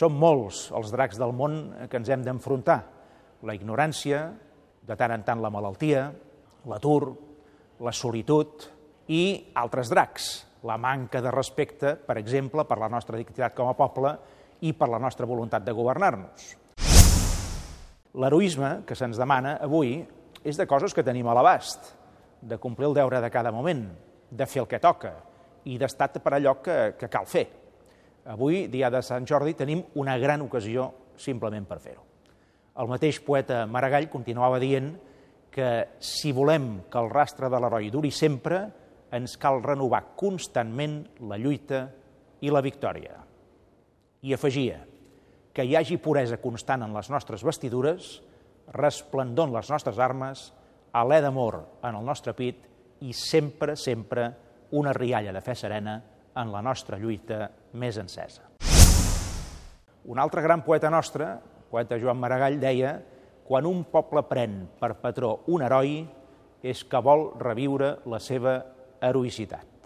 Són molts els dracs del món que ens hem d'enfrontar. La ignorància, de tant en tant la malaltia, l'atur, la solitud i altres dracs. La manca de respecte, per exemple, per la nostra dignitat com a poble i per la nostra voluntat de governar-nos. L'heroisme que se'ns demana avui és de coses que tenim a l'abast, de complir el deure de cada moment, de fer el que toca i d'estar per allò que cal fer. Avui, dia de Sant Jordi, tenim una gran ocasió simplement per fer-ho. El mateix poeta Maragall continuava dient que si volem que el rastre de l'heroi duri sempre, ens cal renovar constantment la lluita i la victòria. I afegia que hi hagi puresa constant en les nostres vestidures, resplendor en les nostres armes, alè d'amor en el nostre pit i sempre, sempre una rialla de fe serena en la nostra lluita més encesa. Un altre gran poeta nostre, el poeta Joan Maragall, deia: quan un poble pren per patró un heroi és que vol reviure la seva heroïcitat.